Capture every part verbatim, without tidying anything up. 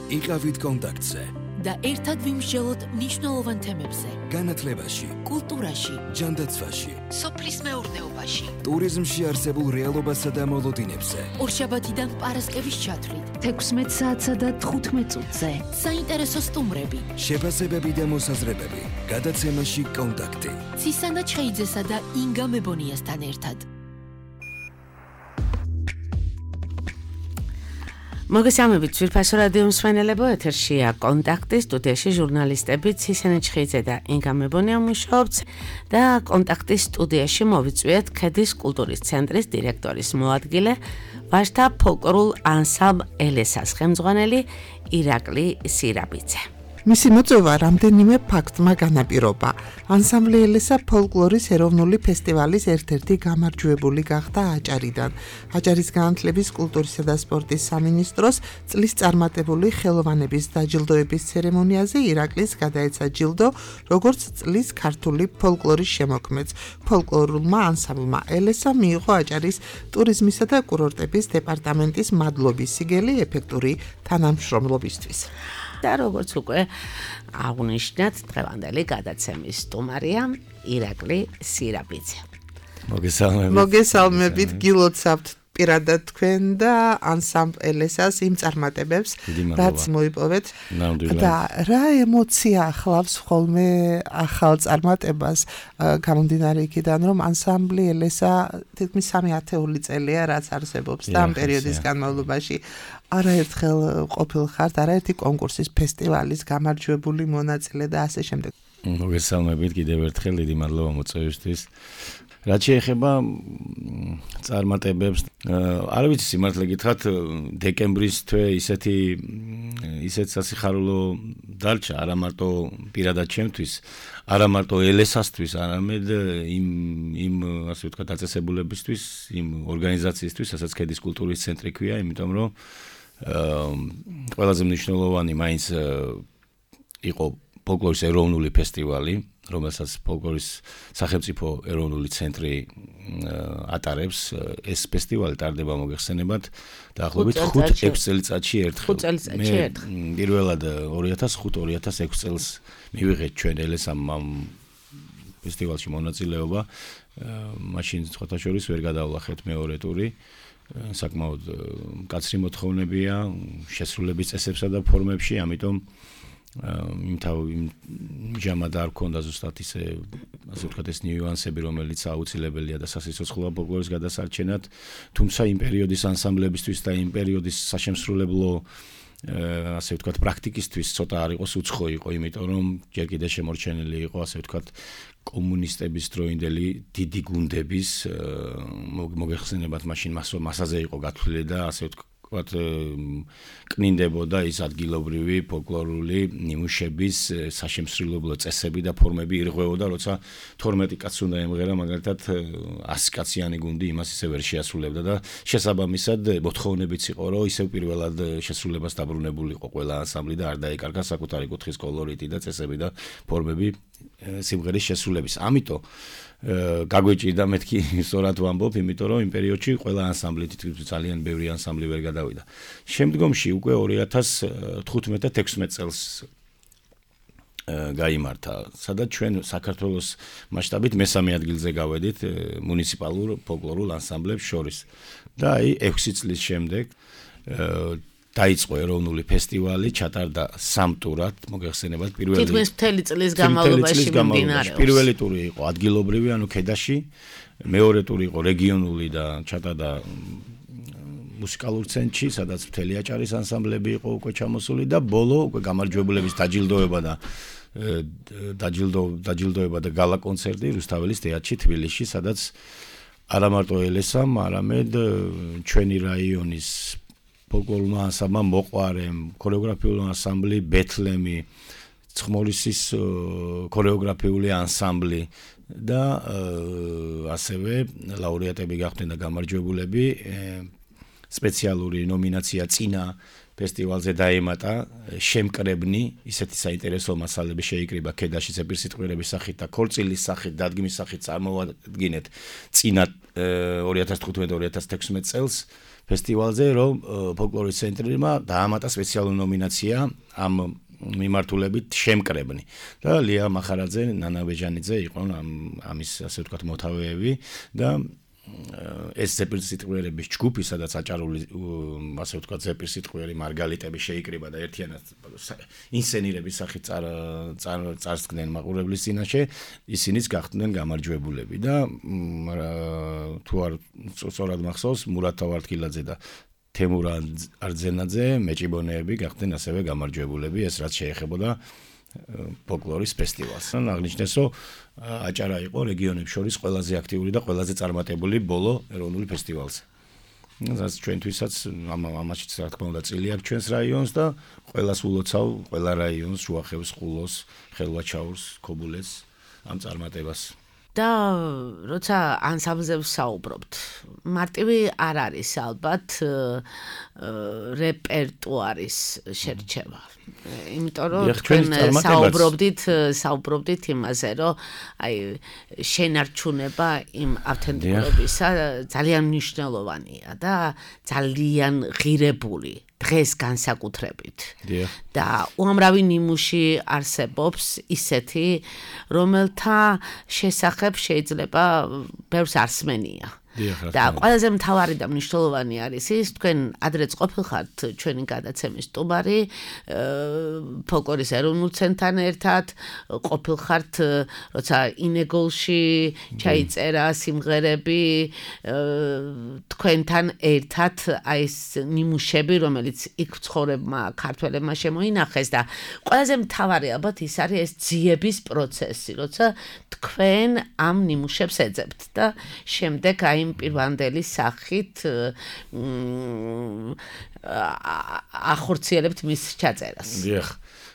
იყავით კონტაქტზე და ერთად ვიმსჯელოთ მნიშვნელოვან თემებზე. განათლებაში, კულტურაში, ჯანდაცვაში, სოფლის მეურნეობაში, ტურიზმში არსებულ რეალობასა და მოლოდინებზე. ორშაბათიდან პარასკევის ჩათვლით, თექვსმეტ საათსა და თხუთმეტ წუთზე. საინტერესო სტუმრები, შეფასებები და მოსაზრებები. გადაცემაში კონტაქტი. ცისანა ჩხეიძესა და ინგა მებონიასთან ერთად. მოგესალმებით ძვირფასო რადიო მსმენელებო, ეთერშია კონტაქტი, სტუდიაში ჟურნალისტები ცისანა ჩხეიძე და ინგა მებონია მუშაობთ და კონტაქტის სტუდიაში მოვიწვიეთ ქედის კულტურის ცენტრის დირექტორის მოადგილე, ვაჟთა ფოლკლორულ ანსამბლ ელესას ხელმძღვანელი ირაკლი სირაბიძე. მისი მოწვევა რამდენიმე ფაქტმა განაპირობა. ანსამბლი ელესა ფოლკლორის ეროვნული ფესტივალის ერთ-ერთი გამარჯვებული გახდა აჭარიდან. აჭარის განათლების, კულტურისა და სპორტის სამინისტროს წლის წარმატებული ხელოვანების დაჯილდოების ცერემონიაზე ირაკლის გადაეცა ჯილდო, როგორც წლის ქართული ფოლკლორის შემოქმედს. ფოლკლორულმა ანსამბლმა ელესა მიიღო აჭარის ტურიზმისა და კურორტების დეპარტამენტის მადლობის სიგელი ეფექტური თანამშრომლობისთვის. და როგორც უკვე აღნიშნეთ, დღევანდელი გადაცემის სტუმარია ირაკლი სირაბიძე. მოგესალმებით. მოგესალმებით, გილოცავთ პირადად თქვენ და ანსამბლ ელესას იმ წარმატებებს, რაც მოიპოვეთ. და რა ემოცია ახლავს ხოლმე ახალ წარმატებას, გამომდინარე იქიდან, რომ ანსამბლი ელესა თითქმის სამი ათეული წელია, რაც არსებობს და ამ პერიოდის განმავლობაში არაერთხელ ყოფილ ხართ, არაერთი კონკურსის, ფესტივალის გამარჯვებული მონაწილე და ასე შემდეგ. მოგესალმებით კიდევ ერთხელ, დიდი მადლობა მოწვევისთვის. რაც შეეხება წარმატებებს, არ ვიცი სიმართლე გითხრათ, დეკემბრის თვე ისეთი ისეთ სასიხარულო დარჩა, არა მარტო პირადად ჩემთვის, არა მარტო ელესასთვის, არამედ იმ იმ ასე ვთქვათ დაწესებულებისთვის, იმ ორგანიზაციისთვის, რასაც ქედის კულტურის ცენტრი ქვია, იმიტომ რომ ყველაზე მნიშვნელოვანი მაინც იყო ფოლკლორის ეროვნული ფესტივალი, რომელსაც ფოლკლორის სახელმწიფო ეროვნული ცენტრი ატარებს. ეს ფესტივალი ტარდება მოგეხსენებათ დაახლოებით ხუთ ექვს წელიწადში ერთხელ. წელიწადში ერთხელ. პირველად ორი ათას ხუთ ორი ათას ექვს წელს მივიღეთ ჩვენ ელესამ ამ ფესტივალში მონაწილეობა. მაშინ სხვათა შორის ვერ გადავლახეთ მეორე ტური. საკმაოდ მკაცრი მოთხოვნებია შესრულების წესებსა და ფორმებში, ამიტომ იმჟამად არ ქონდა ზუსტად ისე ასე ვთქვათ ეს ნიუანსები, რომელიც აუცილებელია და სასიცოცხლოა ფოლკლორის გადასარჩენად, თუმცა იმ პერიოდის ანსამბლებისთვის და იმ პერიოდის საშემსრულებლო ასე ვთქვათ პრაქტიკისთვის ცოტა არ იყოს უცხო იყო, იმიტომ რომ ჯერ კიდე შემორჩენილი იყო ასე ვთქვათ კომუნისტების დროინდელი დიდი გუნდების მოგეხსენებათ მაშინ მასაზე იყო გათვლილი და ასე ვთქვათ კნინდებოდა ის ადგილობრივი ფოლკლორული ნიმუშების საშემსრულებლო წესები და ფორმები ირღვეოდა, როცა თორმეტი კაცს უნდა ემღერა, მაგალითად ასი კაციანი გუნდი იმას ისე ვერ შეასრულებდა და შესაბამისად მოთხოვნებიც იყო, რომ ისევ პირველად შესრულებას დაბრუნებული იყო ყველა ანსამბლი და არ დაეკარგა საკუთარი კუთხის კოლორიტი და წესები და ფორმები სიმღერის შესრულების. ამიტომ გაგვეჭირდა მეთქი სწორად ვამბობ, იმიტომ რომ იმ პერიოდში ყველა ანსამბლი თითქმის ძალიან ბევრი ანსამბლი ვერ გადავიდა. შემდგომში უკვე ორი ათას თხუთმეტ და თექვსმეტ წელს გაიმართა, სადაც ჩვენ საქართველოს მასშტაბით მესამე ადგილზე გავედით მუნიციპალურ ფოლკლორულ ანსამბლებს შორის. და აი ექვსი წლის შემდეგ დაიწყო ეროვნული ფესტივალი, ჩატარდა სამ ტურად, მოგეხსენებათ, პირველი თითქმის მთელი წლის განმავლობაში მიმდინარეობს. პირველი ტური იყო ადგილობრივი, ანუ ქედაში, მეორე ტური იყო რეგიონული და ჩატარდა მუსიკალურ ცენტრში, სადაც მთელი აჭარის ანსამბლები იყო უკვე ჩამოსული და ბოლო უკვე გამარჯვებულების დაჯილდოება და დაჯილდო დაჯილდოება და გალა კონცერტი რუსთაველის თეატრში თბილისში, სადაც არა მარტო ელესამ, არამედ ჩვენი რაიონის ფოლკლორულმა ანსამბლმა მოყვარემ, ქორეოგრაფიული ანსამბლი ბეთლემი, ცხმორისის ქორეოგრაფიული ანსამბლი და ასევე ლაურეატები გახდნენ და გამარჯვებულები. სპეციალური ნომინაცია წინა ფესტივალზე დაემატა შემკრებნი, ისეთი საინტერესო მასალები შეიკრიბა ქედაში ზეპირსიტყვიერების სახით და ქორწილის სახით, დადგმის სახით წარმოვადგინეთ წინა ორი ათას თხუთმეტ ორი ათას თექვსმეტ წელს ფესტივალზე, რომ ფოლკლორის ცენტრმა დაამატა სპეციალური ნომინაცია ამ მიმართულებით შემკრებნი და ლია მახარაძე, ნანა ბეჯანიძე იყო ამის ასე ვთქვათ მოთავეები და ეს ზეპირსიტყვიერების ჯგუფი, სადაც აჭარული ასე ვთქვათ ზეპირსიტყვიერი მარგალიტები შეიკრიბა და ერთიანად ინსცენირების სახით წარსდგნენ მაყურებლის წინაშე, ისინიც გახდნენ გამარჯვებულები და თუ არ სწორად მახსოვს, მურატ თავართკილაძე და თემურ არძენაძე მეჭიბონეები გახდნენ ასევე გამარჯვებულები, ეს რაც შეეხებოდა ფოლკლორის ფესტივალს. აღნიშნეს, რომ აჭარა იყო რეგიონებს შორის ყველაზე აქტიური და ყველაზე წარმატებული ბოლო ეროვნული ფესტივალზე. რაც ჩვენთვისაც ამაშიც რა თქმა უნდა წილი აქვს ჩვენს რაიონს და ყველას ულოცავ, ყველა რაიონს, შუახევს, ხულოს, ხელვაჩაურს, ქობულეთს ამ წარმატებას. და როცა ანსამბლზე ვსაუბრობთ, მარტივი არ არის ალბათ რეპერტუარის შერჩევა. იმიტომ რომ თქვენ საუბრობდით, საუბრობდით იმაზე, რომ აი შენარჩუნება იმ ავთენტიკობისა ძალიან მნიშვნელოვანია და ძალიან ღირებული. დღეს განსაკუთრებით. და უამრავი ნიმუში არსებობს ისეთი, რომელთა შესახებ შეიძლება ბევრს არ სმენია. და ყველაზე მთავარი და მნიშვნელოვანი არის ის, თქვენ ადრეც ყოფილხართ ჩვენი გადაცემის სტუმარი, ფოლკლორის ეროვნულ ცენტრთან ერთად, ყოფილხართ, როცა ინეგოლში ჩაიწერა სიმღერები, თქვენთან ერთად აი ეს ნიმუშები, რომელიც იქ ცხოვრებმა ქართველებმა შემოინახეს და ყველაზე მთავარი ალბათ ის არის ეს ძიების პროცესი, როცა თქვენ ამ ნიმუშებს ეძებთ და შემდეგ აი პირვანდელი სახით ახორციელებთ მის ჩაწერას. დიახ.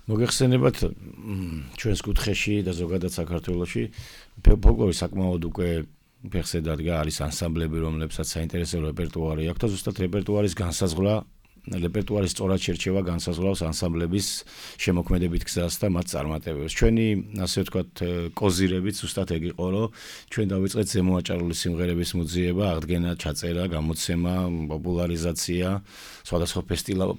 მოგეხსენებათ ჩვენს კუთხეში და ზოგადად საქართველოში ფოლკლორი საკმაოდ უკვე ფეხზე დადგა, არის ანსამბლები, რომლებსაც საინტერესო რეპერტუარი აქვს და ზუსტად რეპერტუარის განსაზღვრა რეპერტუარის სწორად შერჩევა განსაზღვრავს ანსამბლების შემოქმედებით გზას და მათ წარმატებებს. ჩვენი, ასე ვთქვათ, კოზირებით ზუსტად ეგ იყო, რომ ჩვენ დავიწყეთ ზემოაჭარული სიმღერების მოძიება, აღდგენა, ჩაწერა, გამოცემა, პოპულარიზაცია, სხვადასხვა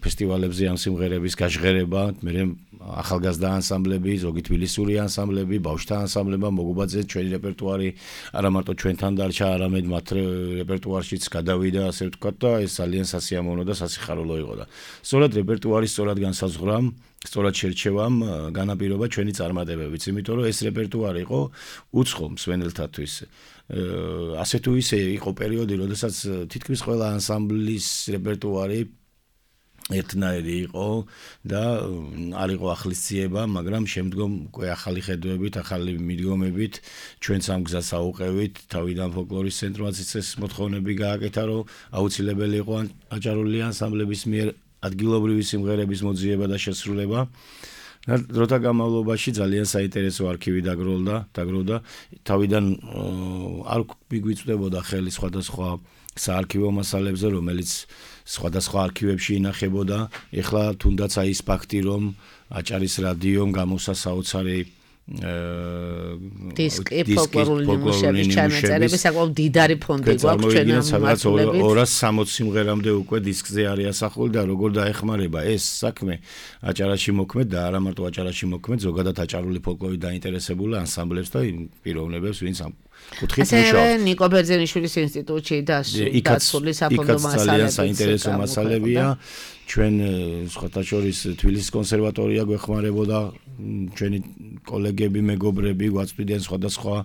ფესტივალებზე ამ სიმღერების გაჟღერება, მერე ახალგაზრდა ანსამბლები, ზოგი თბილისური ანსამბლები, ბავშვთა ანსამბლებმა მოგუბაძეს ჩვენი რეპერტუარი, არა მარტო ჩვენთან დარჩა, არამედ მათ რეპერტუარშიც გადავიდა, ასე ვთქვათ, და ეს ძალიან სასიამოვნო და სასიხარულო იყო და სწორად რეპერტუარის სწორად განსაზღვრამ, სწორად შერჩევამ განაპირობა ჩვენი წარმატებებიც, იმიტომ რომ ეს რეპერტუარი იყო უცხო მსვენელთათვის. ასე თუ ისე იყო პერიოდი, როდესაც თითქმის ყველა ანსამბლის რეპერტუარი ერთნაირი იყო და არ იყო ახლისციება, მაგრამ შემდგომ უკვე ახალი ხედვებით, ახალი მიდგომებით ჩვენც ამ გზას აუყევით, თავიდან ფოლკლორის ცენტრმაც ეს მოთხოვნები გააკეთა, რომ აუცილებელი იყო აჭარული ანსამბლების მიერ ადგილობრივი სიმღერების მოძიება და შესრულება. დროთა განმავლობაში ძალიან საინტერესო არქივი დაგროვდა, დაგროვდა. თავიდან არ მიგვიწვდებოდა ხელი სხვადასხვა საარქივო მასალებზე, რომელიც სხვადასხვა არქივებში ინახებოდა. ეხლა თუნდაც აი ეს ფაქტი, რომ აჭარის რადიომ გამოსა საოცარი დისკი ფოლკლორული ნიმუშების ჩანაწერების საკმაოდ დიდარი ფონდი გვაქვს ჩვენ ამ მიმართულებით. ორას სამოცი სიმღერამდე უკვე დისკზე არის ასახული და როგორ დაეხმარება ეს საქმე აჭარაში მოქმედ და არა მარტო აჭარაში მოქმედ, ზოგადად აჭარული ფოლკლორით დაინტერესებული ანსამბლებს და პიროვნებებს, ვინც ამ კუთხით მუშაობს. ასევე ნიკო ბერძენიშვილის ინსტიტუტში დაცული საფონდო მასალები. ძალიან საინტერესო მასალებია. ჩვენ სხვათა შორის თბილისის კონსერვატორია გვეხმარებოდა, ჩვენი კოლეგები, მეგობრები გვაწვდიდნენ სხვადასხვა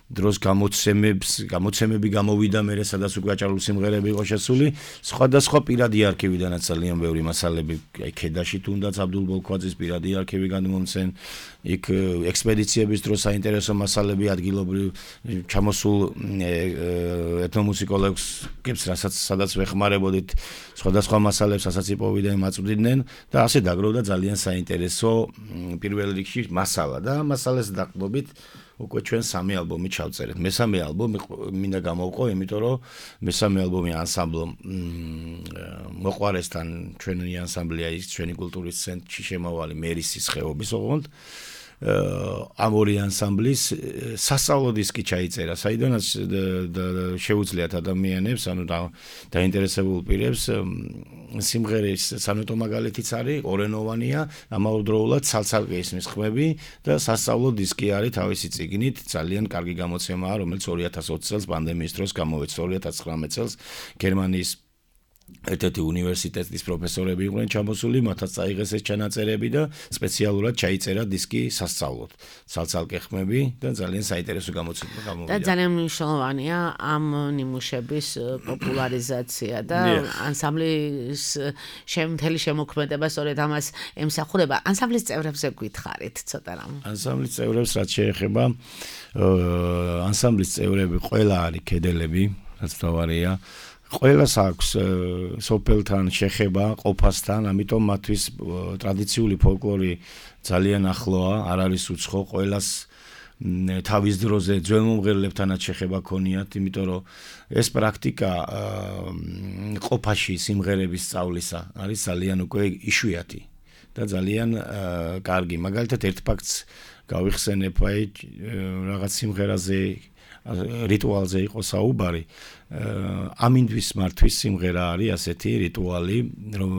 დროს გამოცემებს, გამოცემები გამოვიდა მერე, სადაც უკვე აჭარული სიმღერები იყო შესული, სხვადასხვა პირადი არქივიდანაც ძალიან ბევრი მასალები, აი ქედაში თუნდაც აბდულ ბოლქვაძის პირადი არქივი გადმომცენ, იქ ექსპედიციების დროს საინტერესო მასალები ადგილობრივ ჩამოსულ ეთნომუსიკოლოგებს, რასაც სადაც ვეხმარებოდით, სხვადასხვა მასალებს ასაც იპოვიდნენ, მაწვდიდნენ და ასე დაგროვდა ძალიან საინტერესო პირველ რიგში მასალა და მასალას დაყრდნობით უკვე ჩვენ სამი ალბომი ჩავწერეთ. მესამე ალბომი მინდა გამოვყო, იმიტომ რომ მესამე ალბომი ანსამბლომ მოყვარესთან ჩვენი ანსამბლია ის ჩვენი კულტურის ცენტრში შემავალი მერისის ხეობის ოღონდ ამ ორი ანსამბლის სასწავლო დისკი ჩაიწერა, საიდანაც შეუძლიათ ადამიანებს, ანუ დაინტერესებულ პირებს სიმღერის სანოტო მაგალითიც არის, ორენოვანია, ამავდროულად ცალ-ცალკე ისმის ხმები და სასწავლო დისკი არის თავისი წიგნით, ძალიან კარგი გამოცემაა, რომელიც ორი ათას ოცი წელს პანდემიის დროს გამოეცა, ორი ათას ცხრამეტ წელს გერმანიის ერთ-ერთი უნივერსიტეტის პროფესორები იყვნენ ჩამოსული, მათაც წაიღეს ეს ჩანაწერები და სპეციალურად ჩაიწერა დისკი სასწავლოდ. ცალ-ცალკე ხმები და ძალიან საინტერესო გამოცემა გამოვიდა. და ძალიან მნიშვნელოვანია ამ ნიმუშების პოპულარიზაცია და ანსამბლის შემთელი შემოქმედება სწორედ ამას ემსახურება. ანსამბლის წევრებზე გითხარით ცოტა რამ. ანსამბლის წევრებს რაც შეეხება, ანსამბლის წევრები ყველა არის კედელები, რაც თავარია. ყველას აქვს სოფელთან შეხება ყოფასთან, ამიტომ მათთვის ტრადიციული ფოლკლორი ძალიან ახლოა, არ არის უცხო, ყველას თავის დროზე ძველმომღერლებთანაც შეხება ქონიათ, იმიტომ რომ ეს პრაქტიკა ყოფაში სიმღერების სწავლისა არის ძალიან უკვე იშვიათი და ძალიან კარგი. მაგალითად ერთ ფაქტს გავიხსენებ, აი რაღაც სიმღერაზე რიტუალზე იყო საუბარი. ამინდვის მართვის სიმღერა არის ასეთი რიტუალი, რომ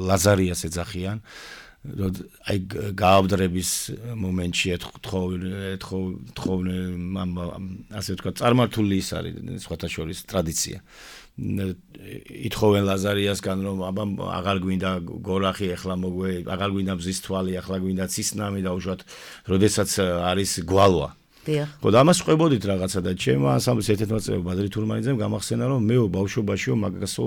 ლაზარიას ეძახიან. აი გააბდრების მომენტში ეთხოვენ ასე ვთქვათ, წარმართული ის არის სხვათა შორის ტრადიცია. ითხოვენ ლაზარიასგან, რომ აბა აღარ გვინდა გორახი, ახლა მოგვე, აღარ გვინდა მზის თვალი, ახლა გვინდა ცისნამი და უშუალოდ როდესაც არის გვალვა. ხო და ამას ყვებოდით რაღაცა და ჩემ ანსამბლის ერთ-ერთმა წევრმა ბადრი თურმანიძემ გამახსენა, რომ მეო ბავშვობაშიო მაგასო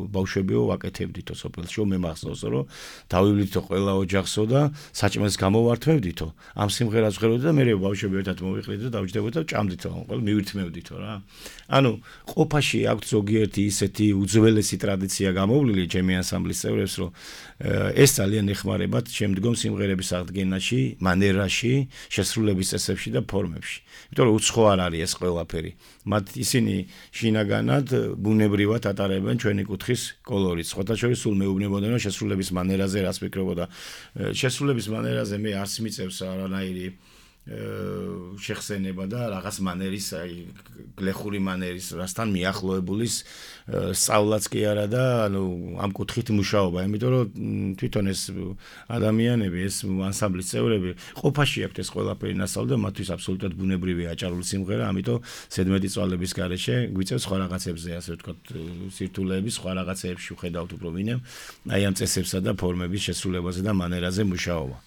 ბავშვებიო ვაკეთებდითო სოფელშიო, მე მახსოვს, რომ დავივლითო ყველა ოჯახსო და საჭმელს გამოვართმევდითო. ამ სიმღერას ვღეროდი და მე ბავშვები ერთად მოვიყრით და დავჯდებოდი და ჭამდითო, ყველა მივირთმევდითო რა. ანუ ყოფაში აქვს ზოგიერთი ისეთი უძველესი ტრადიცია გამოვლილი ჩემი ანსამბლის წევრებს, რომ ეს ძალიან ეხმარებათ შემდგომ სიმღერების აღდგენაში, მანერაში, შესრულების წესებში და ფორმებში. იმიტომ რომ უცხო არ არის ეს ყველაფერი. მათ ისინი შინაგანად ბუნებრივად ატარებენ ჩვენი კუთხის კოლორიტს. სხვათა შორის სულ მეუბნებოდნენ, რომ შესრულების მანერაზე რას ფიქრობოდა. შესრულების მანერაზე მე არც მიწევს არანაირი შეხსენება და რაღაც მანერის, აი გლეხური მანერის, რასთან მიახლოებულის სწავლაც კი არა და ანუ ამ კუთხით მუშაობა, იმიტომ რომ თვითონ ეს ადამიანები, ეს ანსამბლის წევრები ყოფაში აქვთ ეს ყველაფერი ნასწავლი და მათთვის აბსოლუტურად ბუნებრივია აჭარული სიმღერა, ამიტომ ზედმეტი წვალების გარეშე გვიწევს სხვა რაღაცებზე, ასე ვთქვათ, სირთულეების სხვა რაღაცეებში ვხედავთ უფრო ვინემ, აი ამ წესებსა და ფორმების შესრულებაზე და მანერაზე მუშაობა.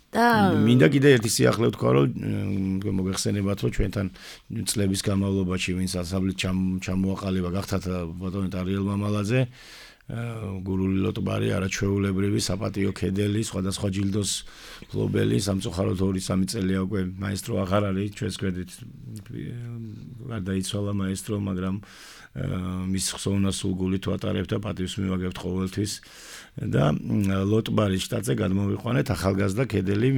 და მინდა კიდე ერთი სიახლე ვთქვა, რომ მოგეხსენებათ, რომ ჩვენთან წლების განმავლობაში ვინც ანსამბლით ჩამოაყალიბა, გახდათ ბატონი ტარიელ მამალაძე, გურული ლოტბარი, არაჩვეულებრივი, საპატიო კედელი, სხვადასხვა ჯილდოს ფლობელი, სამწუხაროდ ორი სამი წელია უკვე მაესტრო აღარ არის ჩვენს გვერდით. გარდაიცვალა მაესტრო, მაგრამ მის ხსოვნას სულგულით ვატარებთ და პატივს მივაგებთ ყოველთვის. და ლოტბარის შტატზე გადმოვიყვანეთ ახალგაზრდა კედელი,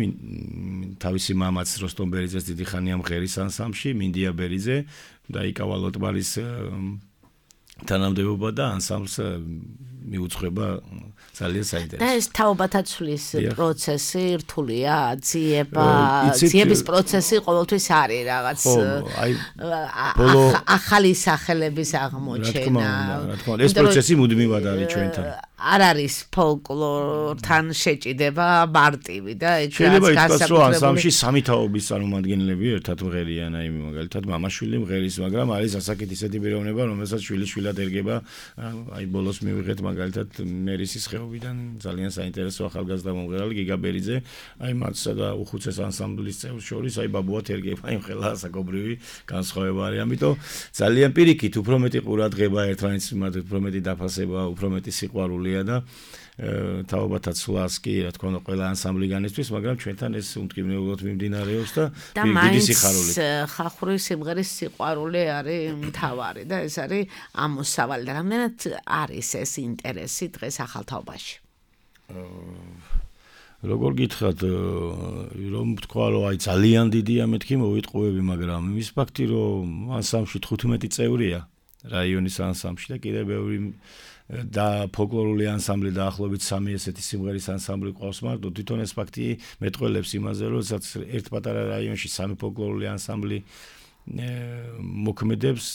თავისი მამაც როსტომ ბერიძეს დიდი ხანია მღერის ანსამბლში, მინდია ბერიძე და იკავა ლოტბარის თანამდებობა და ანსამბლს მიუძღვება ძალიან საინტერესო. და ეს თაობათა ცვლის პროცესი რთულია, ძიება, ძიების პროცესი ყოველთვის არის რაღაც ახალი სახელების აღმოჩენა. რა თქმა უნდა, ეს პროცესი მუდმივად არის ჩვენთან. არ არის ფოლკლორთან შეჭიდება მარტივი და ეგ შეიძლება ითქვას, რომ ანსამბლში სამი თაობის წარმომადგენლები ერთად მღერიან, აი მაგალითად მამაშვილი მღერის, მაგრამ არის ასაკით ისეთი პიროვნება, რომელსაც შვილიშვილად ერგება, აი ბოლოს მივიღეთ მაგალითად მერისის ხეობიდან ძალიან საინტერესო ახალგაზრდა მომღერალი გიგა ბერიძე, აი მათსა და უხუცეს ანსამბლის წევრს შორის, აი ბაბუათ ერგება, აი ხელა ასაკობრივი განსხვავება არის, ამიტომ ძალიან პირიქით უფრო მეტი ყურადღება ერთმანეთს მიმართ, უფრო მეტი დაფასება, უფრო მეტი სიყვარული და თაობათა ცვლას კი რა თქმა უნდა ყველა ანსამბლიგანისთვის, მაგრამ ჩვენთან ეს უმტკივნეულოდ მიმდინარეობს და დიდი სიხარული. ხახური სიმღერის სიყვარული არის მთავარი და ეს არის ამოსავალი და რამდენად არის ეს ინტერესი დღეს ახალ თაობაში? როგორ გითხრათ, რომ თქვა რომ აი ძალიან დიდია მეთქი მოვიტყუები, მაგრამ ის ფაქტი რომ ანსამბლში თხუთმეტი წევრია რაიონის ანსამბლში და კიდევ ბევრი და ფოლკლორული ანსამბლი დაახლოებით სამი ესეთი სიმღერის ანსამბლი ყავს მარტო თვითონ ეს ფაქტი მეტყველებს იმაზე რომ როდესაც ერთ პატარა რაიონში სამი ფოლკლორული ანსამბლი მოქმედებს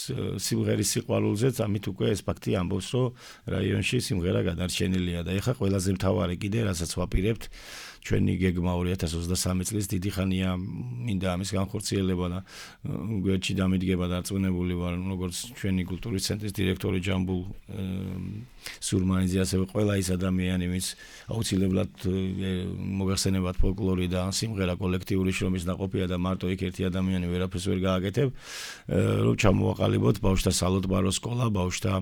სიმღერის სიყვარულზეც ამით უკვე ეს ფაქტი ამბობს რომ რაიონში სიმღერა გადარჩენილია და ეხლა ყველაზე მთავარი კიდე რასაც ვაპირებთ ჩვენი გეგმა ორი ათას ოცდასამი წლის დიდი ხანია მინდა ამის განხორციელება და გვერდში დამიდგება დარწმუნებული ვარ როგორც ჩვენი კულტურის ცენტრის დირექტორი ჯამბულ სურმანიძე ასევე ყველა ის ადამიანი ვინც აუცილებლად მოგახსენებათ ფოლკლორი და სიმღერა კოლექტიური შრომის ნაყოფია და მარტო იქ ერთი ადამიანი ვერაფერს ვერ გააკეთებ რომ ჩამოვაყალიბოთ ბავშვთა სალოტბარო სკოლა ბავშვთა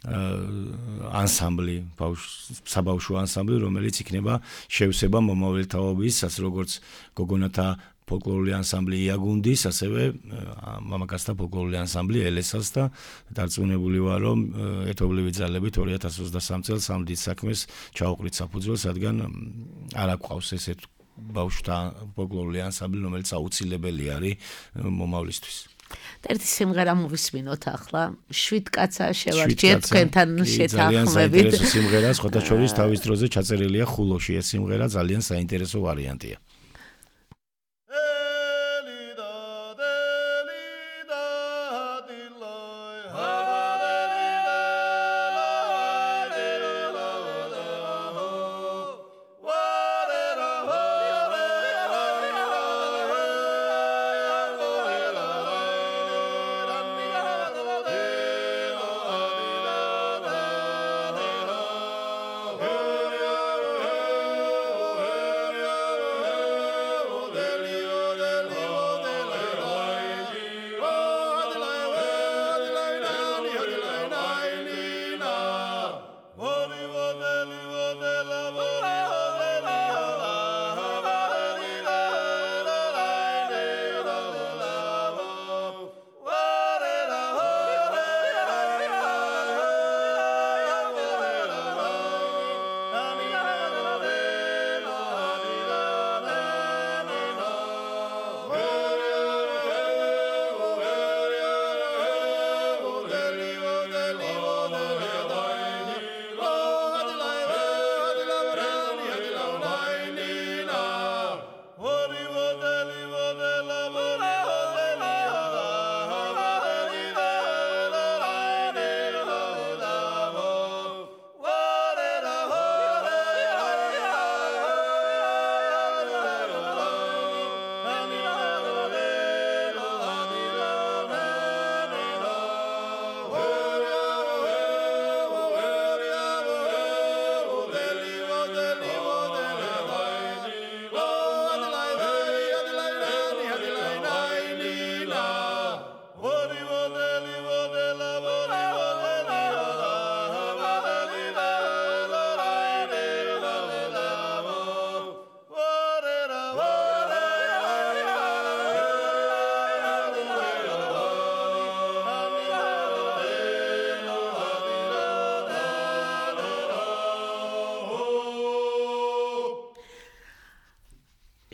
ანსამბლი, საბავშვო ანსამბლი, რომელიც იქნება შევსება მომავალთაობის, ასე როგორც გოგონათა ფოლკლორული ანსამბლი იაგუნდის, ასევე მამაკაცთა ფოლკლორული ანსამბლი ელესას და დარწმუნებული ვარ, რომ ეთობლივი ძალებით ორი ათას ოცდასამი წელს ამ დიდ საქმეს ჩაუყრით საფუძველს, რადგან არ აქვს ესეთ ბავშვთა ფოლკლორული ანსამბლი, რომელიც აუცილებელი არის მომავლისთვის. და ერთი სიმღერა მოვისმინოთ ახლა შვიდ კაცა შევარჩიეთ თქვენთან შეთანხმებით. ძალიან საინტერესო სიმღერა, სხვათა შორის თავის დროზე ჩაწერილია ხულოში. ეს სიმღერა ძალიან საინტერესო ვარიანტია.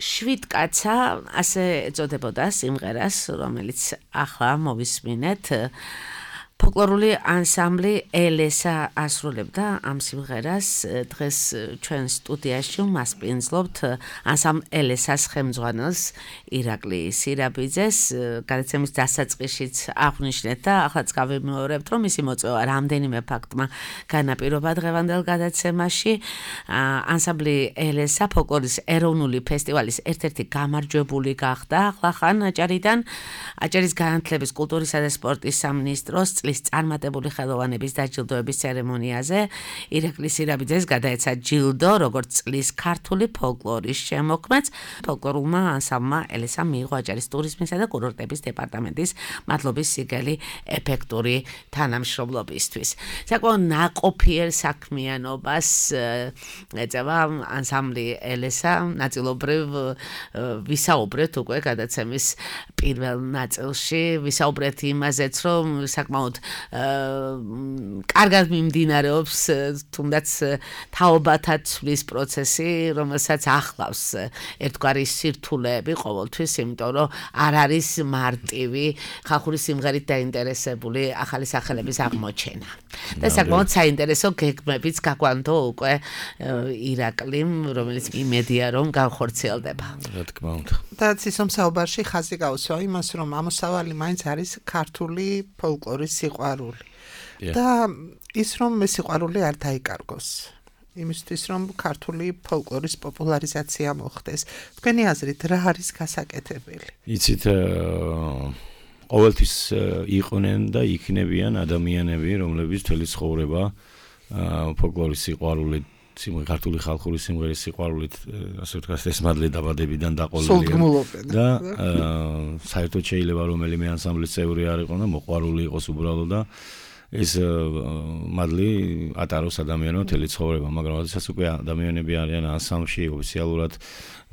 შვიდ კაცა ასე ეწოდებოდა სიმღერას, რომელიც ახლა მოვისმინეთ. ფოლკლორული ანსამბლი ელესა ასრულებდა ამ სიმღერას დღეს ჩვენ სტუდიაში მასპინძლობთ ანსამბლ ელესას ხელმძღვანელს ირაკლი სირაბიძეს გადაცემის დასაწყისშიც აღვნიშნეთ და ახლაც გავიმეორებთ რომ მისი მოწვევა რამდენიმე ფაქტმა განაპირობა დღევანდელ გადაცემაში ანსამბლი ელესა ფოლკლორის ეროვნული ფესტივალის ერთ-ერთი გამარჯვებული გახდა ახლახან აჭარიდან აჭარის განათლების კულტურისა და სპორტის სამინისტროს წარმატებული ხელოვანების დაჯილდოების ცერემონიაზე ირაკლი სირაბიძეს გადაეცა ჯილდო როგორც წლის ქართული ფოლკლორის შემოქმედს ფოლკლორულმა ანსამბლმა ელესამ მიიღო აჭარის ტურიზმისა და კურორტების დეპარტამენტის მადლობის სიგელი ეფექტური თანამშრომლობისთვის საკმაოდ ნაყოფიერ საქმიანობას ეწევა ანსამბლი ელესა ნაწილობრივ ვისაუბრეთ უკვე გადაცემის პირველ ნაწილში ვისაუბრეთ იმაზეც რომ საკმაოდ კარგად მიმდინარეობს თუნდაც თაობათა ცვლის პროცესი, რომელსაც ახლავს ერთგვარი სირთულეები ყოველთვის, იმიტომ რომ არ არის მარტივი ხალხური სიმღერით დაინტერესებული ახალი სახელების აღმოჩენა. და საკმაოდ საინტერესო გეგმებიც გაგვანთო უკვე ირაკლიმ, რომელიც იმედია რომ განხორციელდება. რა თქმა უნდა. და ცისომ საუბარში ხაზი გაუსვა იმას, რომ ამოსავალი მაინც არის ქართული ფოლკლორის სიყვარული. და ის რომ მე სიყვარული არ დაიკარგოს. იმისთვის რომ ქართული ფოლკლორის პოპულარიზაცია მოხდეს. თქვენი აზრით რა არის გასაკეთებელი? იცით ყოველთვის იყვნენ და იქნებიან ადამიანები, რომლებიც მთელი ცხოვრება ფოლკლორის სიყვარულით, ქართული ხალხური სიმღერის სიყვარულით, ასე ვთქვათ, ესმადლე დაბადებიდან დაყოლილია და საერთოდ შეიძლება რომელიმე ანსამბლის წევრი არ იყო და მოყვარული იყოს უბრალოდ და ეს მადლი ატაროს ადამიანმა მთელი ცხოვრება, მაგრამ როდესაც უკვე ადამიანები არიან ანსამბლში, ოფიციალურად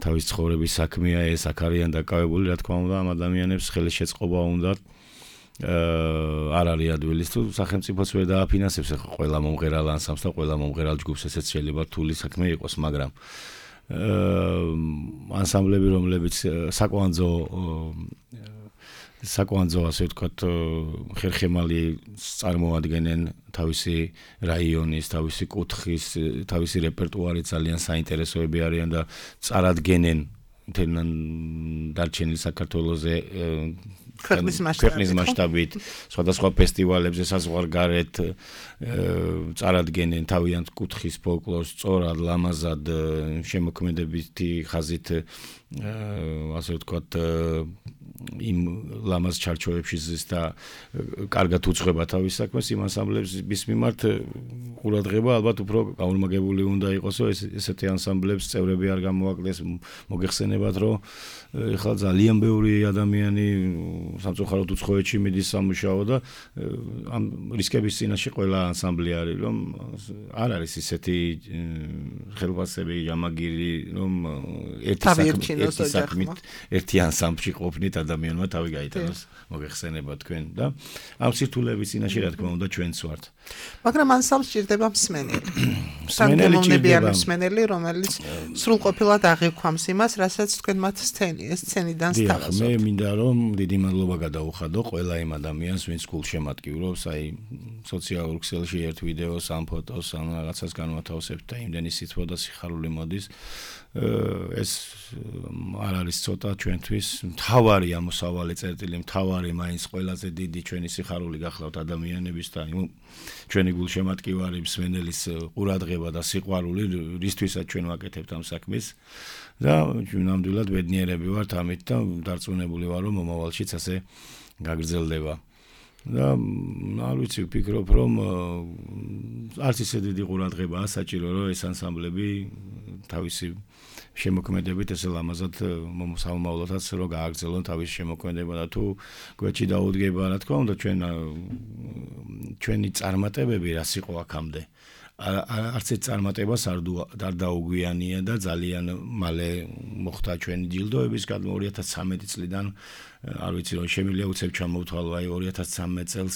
თავის ცხოვრების საქმეა ეს, აქ არიან დაკავებული, რა თქმა უნდა, ამ ადამიანებს ხელის შეწყობა უნდათ. არ არის ადვილის თუ სახელმწიფოც ვერ დააფინანსებს ყველა მომღერალ ანსამბლს და ყველა მომღერალ ჯგუფს, ესეც შეიძლება რთული საქმე იყოს, მაგრამ ანსამბლები, რომლებიც საკვანძო საკვანძო ასე ვთქვათ ხერხემალი წარმოადგენენ თავისი რაიონის, თავისი კუთხის, თავისი რეპერტუარი ძალიან საინტერესოები არიან და წარადგენენ მთელ დარჩენილ საქართველოზე ქვეყნის მასშტაბით, სხვადასხვა ფესტივალებზე საზღვარგარეთ წარადგენენ თავიანთ კუთხის ფოლკლორს სწორად, ლამაზად, შემოქმედებითი ხაზით, ასე ვთქვათ, იმ ლამაზ ჩარჩოებში ზის და კარგად უძღვება თავის საქმეს, იმ ანსამბლების მიმართ ყურადღება ალბათ უფრო გაურმაგებული უნდა იყოს, რომ ესეთი ანსამბლების წევრები არ გამოაკლდეს, მოგეხსენებათ, რომ ეხლა ძალიან ბევრი ადამიანი სამწუხაროდ უცხოეთში მიდის სამუშაო და ამ რისკების წინაშე ყველა ანსამბლი არის, რომ არ არის ისეთი ხელფასები, ჯამაგირი, რომ ერთი საქმით, ერთი ანსამბლში ყოფნით ადამიანმა თავი გაიტანოს, მოგეხსენება თქვენ და ამ სირთულეების წინაშე რა თქმა უნდა ჩვენც ვართ. მაგრამ ანსამბლს სჭირდება მსმენელი. მსმენელი მსმენელი, რომელიც სრულყოფილად აღიქვამს იმას, რასაც თქვენ მათ სცენი, ეს სცენიდან სთავაზობთ. მე მინდა რომ დიდი მადლობა გადაუხადო ყველა იმ ადამიანს, ვინც გულშემატკივრობს, აი სოციალურ ქსელში ერთ ვიდეოს, ამ ფოტოს, ამ რაღაცას განვათავსებთ და იმდენი სითბო და სიხარული მოდის. ეს არ არის ცოტა ჩვენთვის, მთავარი ამოსავალი წერტილი, მთავარი მაინც ყველაზე დიდი ჩვენი სიხარული გახლავთ ადამიანების და ჩვენი გულშემატკივარი მსმენელის ყურადღება და სიყვარული, რისთვისაც ჩვენ ვაკეთებთ ამ საქმეს და ნამდვილად ბედნიერები ვართ ამით და დარწმუნებული ვარ, რომ მომავალშიც ასე გაგრძელდება. და არ ვიცი, ვფიქრობ, რომ არც ისე დიდი ყურადღებაა საჭირო, რომ ეს ანსამბლები თავისი შემოქმედებით ესე ლამაზად მომსავალოთაც რო გააგრძელონ თავის შემოქმედება და თუ გვერდში დაუდგება, რა თქმა უნდა, ჩვენ ჩვენი წარმატებები რას იყო აქამდე. არც ერთ წარმატებას არ დაუგვიანია და ძალიან მალე მოხდა ჩვენი ჯილდოების გადმო ორი ათას ცხრამეტი წლიდან არ ვიცი რომ შემიძლია უცებ ჩამოვთვალო აი ორი ათას ცხრამეტ წელს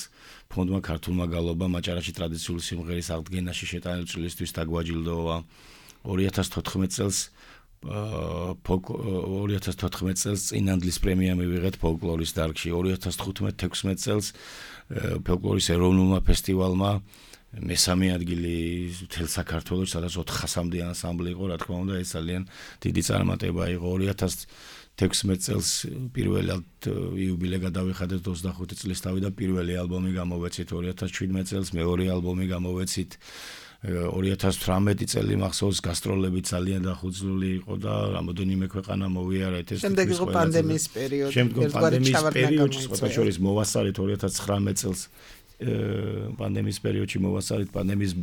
ფონდმა ქართულმა გალობა მაჭარაში ტრადიციული სიმღერის აღდგენაში შეტანილი წლისთვის დაგვაჯილდოვა ორი ათას თოთხმეტ წელს ორი ათას თოთხმეტ წელს წინანდლის პრემია მივიღეთ ფოლკლორის დარგში ორი ათას თხუთმეტ თექვსმეტ წელს ფოლკლორის ეროვნულმა ფესტივალმა მესამე ადგილი მთელ საქართველოში, სადაც ოთხასამდე ანსამბლი იყო, რა თქმა უნდა, ეს ძალიან დიდი წარმატება იყო. ორი ათას თექვსმეტ წელს პირველად იუბილე გადავიხადეთ ოცდახუთი წლის თავი და პირველი ალბომი გამოვეცით. ორი ათას შვიდმეტ წელს მეორე ალბომი გამოვეცით. ორი ათას თვრამეტი წელი მახსოვს გასტროლები ძალიან დახუცლული იყო და რამოდენიმე ქვეყანა მოვიარეთ ეს შემდეგ იყო პანდემიის პერიოდი. შემდგომ პანდემიის პერიოდში სხვა შორის მოვასწარეთ ორი ათას ცხრამეტ წელს პანდემიის პერიოდში მოვასწარეთ პანდემიის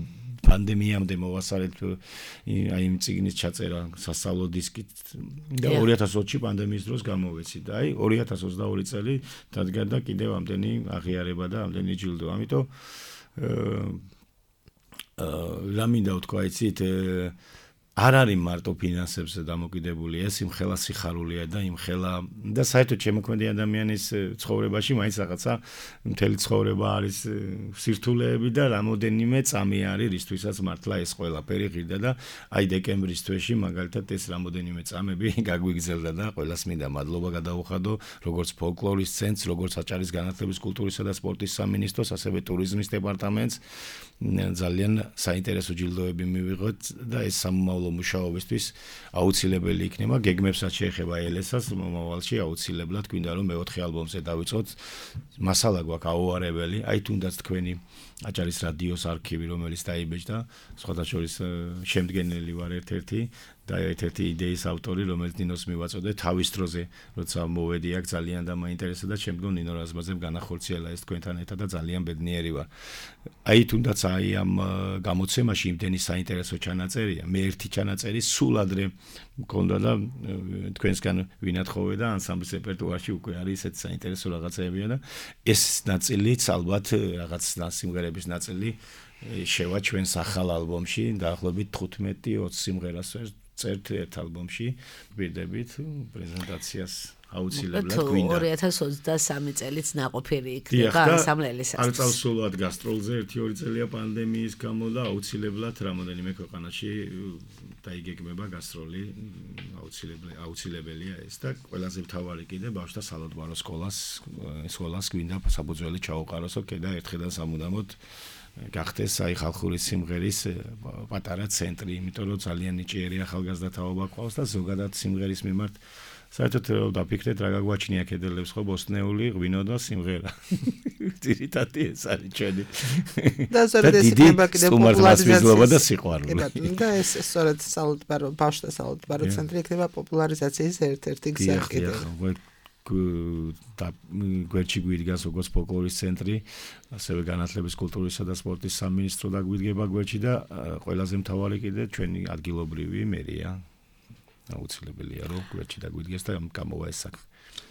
პანდემიამდე მოვასწარეთ აი იმ წიგნის ჩაწერა სასწავლო დისკით და ორი ათას ოცი პანდემიის დროს გამოვეცით და აი ორი ათას ოცდაორი წელი დადგა და კიდევ ამდენი აღიარება და ამდენი ჯილდო. ამიტომ რა მინდა ვთქვა, იცით არ არის მარტო ფინანსებზე დამოკიდებული, ეს იმხელა სიხარულია და იმხელა და საერთოდ შემოქმედი ადამიანის ცხოვრებაში მაინც რაღაცა მთელი ცხოვრება არის სირთულეები და რამოდენიმე წამი არის, რისთვისაც მართლა ეს ყველაფერი ღირდა და აი დეკემბრის თვეში მაგალითად ეს რამოდენიმე წამები გაგვიგრძელდა და ყველას მინდა მადლობა გადაუხადო, როგორც ფოლკლორის ცენტრს, როგორც აჭარის განათლების, კულტურისა და სპორტის სამინისტროს, ასევე ტურიზმის დეპარტამენტს ძალიან საინტერესო ჯილდოები მივიღოთ და ეს სამომავლო მუშაობისთვის აუცილებელი იქნება. გეგმებსაც შეეხება ელესას მომავალში აუცილებლად გვინდა რომ მეოთხე ალბომზე დავიწყოთ. მასალა გვაქვს აუარებელი, აი თუნდაც თქვენი აჭარის რადიოს არქივი, რომელიც დაიბეჭდა, სხვათა შორის შემდგენელი ვარ ერთ-ერთი და ერთ-ერთი იდეის ავტორი, რომელიც ნინოს მივაწოდე თავის დროზე, როცა მოვედი აქ ძალიან და მაინტერესა და შემდგომ ნინო რაზმაძემ განახორციელა ეს თქვენთან ერთად და ძალიან ბედნიერი ვარ. აი თუნდაც აი ამ გამოცემაში იმდენი საინტერესო ჩანაწერია, მე ერთი ჩანაწერი სულ ადრე მქონდა და თქვენსგან ვინათხოვე და ანსამბლის რეპერტუარში უკვე არის ესეთ საინტერესო რაღაცებია და ეს ნაწილიც ალბათ რაღაც სიმღერების ნაწილი შევა ჩვენს ახალ ალბომში, დაახლოებით თხუთმეტი ოცი სიმღერას წერთ ერთ ალბომში, ვირდებით პრეზენტაციას აუცილებლად გვინდა. ორი ათას ოცდასამი წელიც ნაყოფიერი იქნება ანსამბლელისას. არ წავსულვად გასტროლზე ერთი ორი წელია პანდემიის გამო და აუცილებლად რამოდენიმე ქვეყანაში დაიგეგმება გასტროლი, აუცილებელი აუცილებელია ეს და ყველაზე მთავარი კიდე ბავშვთა სალოდბარო სკოლას სკოლას გვინდა საფუძველი ჩაუყაროსო და ერთხელ სამუდამოდ გახდეს აი ხალხური სიმღერის პატარა ცენტრი, იმიტომ რომ ძალიან ნიჭიერი ახალგაზრდა თაობა ყავს და ზოგადად სიმღერის მიმართ საერთოდ დაფიქრეთ რა გაგვაჩნია კედელებს ხო ბოსტნეული ღვინო და სიმღერა. ძირითადი ეს არის ჩვენი. და სწორედ ეს იქნება კიდევ პოპულარიზაცია და სიყვარული. და ეს სწორედ სალოდბარო ბავშვთა სალოდბარო ცენტრი იქნება პოპულარიზაციის ერთ-ერთი გზა კიდევ. და გვერდში გვიდგას როგორც ფოლკლორის ცენტრი, ასევე განათლების, კულტურისა და სპორტის სამინისტრო და გვიდგება გვერდში და ყველაზე მთავარი კიდე ჩვენი ადგილობრივი მერია. აუცილებელია რომ გვერდში დაგვიდგეს და გამოვა ეს საქმე.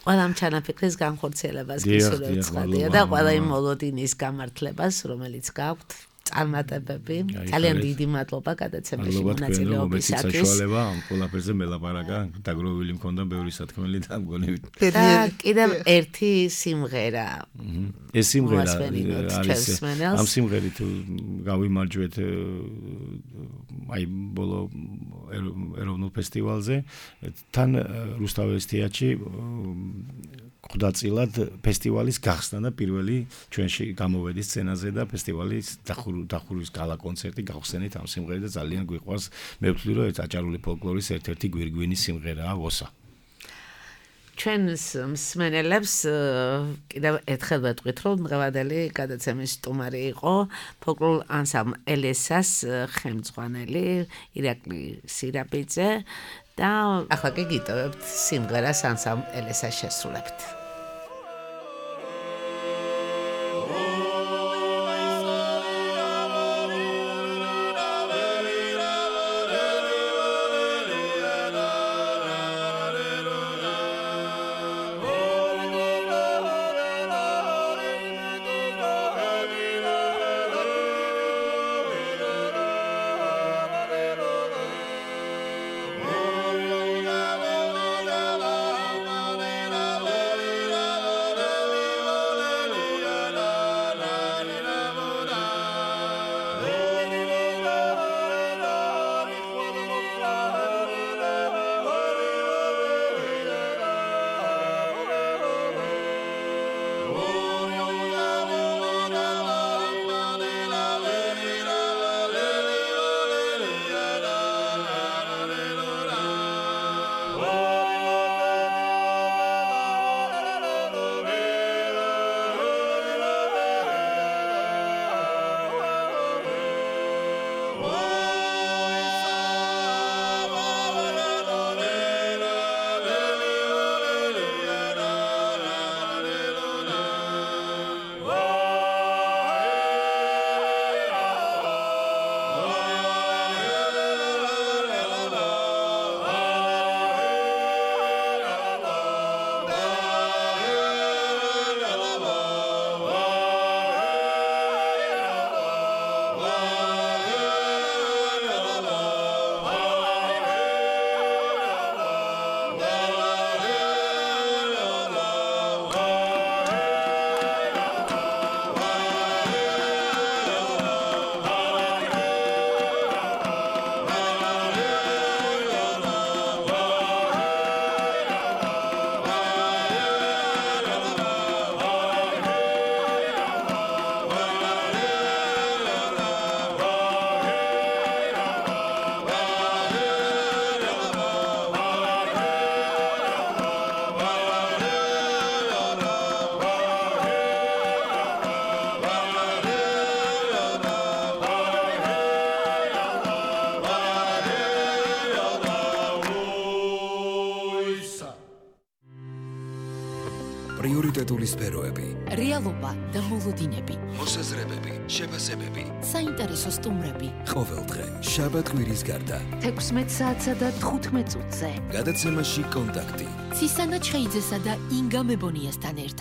ყველა ამ ჩანაფიქრის განხორციელებას გისურვებთ ცხადია და ყველა იმ მოლოდინის გამართლებას, რომელიც გაქვთ. წარმატებები. ძალიან დიდი მადლობა გადაცემაში მონაწილეობისათვის. საშუალება ამ ყველაფერზე მელაპარაკა, დაგროვილი მქონდა ბევრი სათქმელი და მგონი. და კიდევ ერთი სიმღერა. ეს სიმღერა არის ამ სიმღერით გავიმარჯვეთ აი ბოლო ეროვნულ ფესტივალზე თან რუსთაველის თეატრში ხუდაწილად ფესტივალის გახსნა და პირველი ჩვენში გამოვედი სცენაზე და ფესტივალის დახურვის გალა კონცერტი გავხსენით ამ სიმღერით და ძალიან გვიყვარს. მე ვთვლი რომ ეს აჭარული ფოლკლორის ერთ-ერთი გვირგვინი სიმღერაა ოსა. ჩვენს მსმენელებს კიდევ ერთხელ ვეტყვით რომ დღევანდელი გადაცემის სტუმარი იყო ფოლკლორ ანსამბლ ელესას ხელმძღვანელი ირაკლი სირაბიძე და ახლა კი გიტოვებთ სიმღერას ანსამბლ ელესას შესრულებით. Oh პრიორიტეტული სფეროები, რეალობა და მოლოდინები, მოსაზრებები, შეფასებები. საინტერესო სტუმრები. ყოველდღე, შაბათ-კვირის გარდა. თექვსმეტ საათსა და თხუთმეტ წუთზე. გადაცემაში კონტაქტი. ცისანა ჩხეიძესა და ინგა მებონიასთან ერთად.